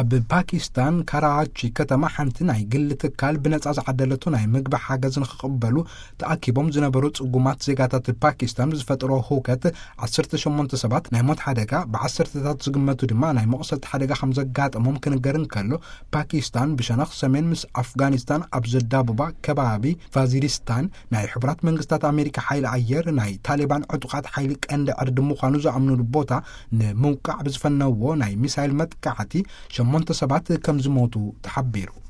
ኣብ ፓኪስታን ካራቺ ከተማ ሓንቲ ናይ ግል ትካል ብነጻ ዝዓደለቱ ናይ ምግቢ ሓገዝ ንክቕበሉ ተኣኪቦም ዝነበሩ ጽጉማት ዜጋታት ፓኪስታን ብዝፈጠሮ ህውከት ዓሰርተ ሸሞንተ ሰባት ናይ ሞት ሓደጋ፣ ብዓሰርተታት ዝግመቱ ድማ ናይ መቑሰልቲ ሓደጋ ከም ዘጋጠሞም ክንገር እንከሎ፣ ፓኪስታን ብሸነኽ ሰሜን ምስ ኣፍጋኒስታን ኣብ ዘዳብባ ከባቢ ፋዚሪስታን ናይ ሕቡራት መንግስታት ኣሜሪካ ሓይሊ ኣየር ናይ ታሊባን ዕጡቓት ሓይሊ ቀንዲ ዕርዲ ምዃኑ ዝኣምኑሉ ቦታ ንምውቃዕ ብዝፈነዎ ናይ ሚሳይል መጥቃዕቲ ሸሞንተ ሰባት ከም ዝሞቱ ተሓቢሩ።